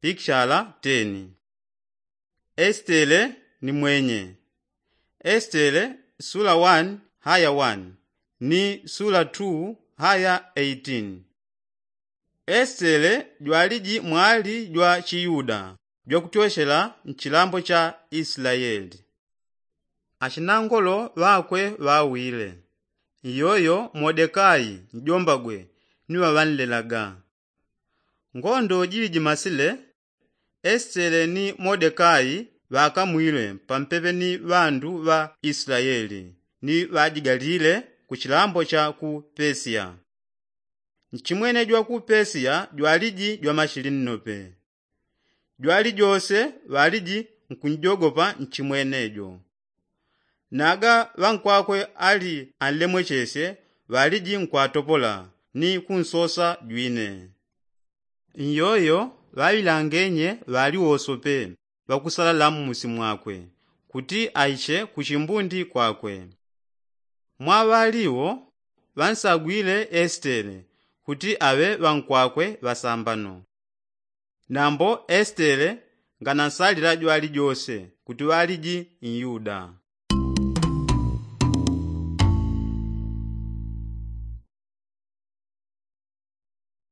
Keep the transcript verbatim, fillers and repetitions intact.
pikishala teni. Esitele ni mwenye. Esitele sula wani haya wani ni sula tu haya eitin. Esitele jwaliji mwali jwa chiyuda jwakutyoshela nchilambo cha isilayeli. Achinangolo ŵakwe ŵawile, iyoyo modekai njombagwe ni ŵaŵanlelaga. Ngondo jiliji masile, esitele ni modekai ŵakamwile pampepe ni ŵandu ŵa isilayeli ni ŵajigalile ku chilambo cha ku pesiya. Nchimwene jwa ku pesiya jwaliji jwamashili nnope. Jwalijose ŵaliji nkunjogopa nchimwene jo. Naga ŵankwakwe ali anlemwechesye ŵaliji nkwatopola ni kunsosa jwine. Nyoyo ŵaŵilangenye ŵaliwosope ŵakusala lamusi mwakwe kuti aiche kuchimbundi kwakwe. Mwa ŵaliwo ŵansagwile esitele kuti aŵe ŵankwakwe ŵasambano. Nambo esitele nganansalila jwalijose kuti ŵaliji nyuda.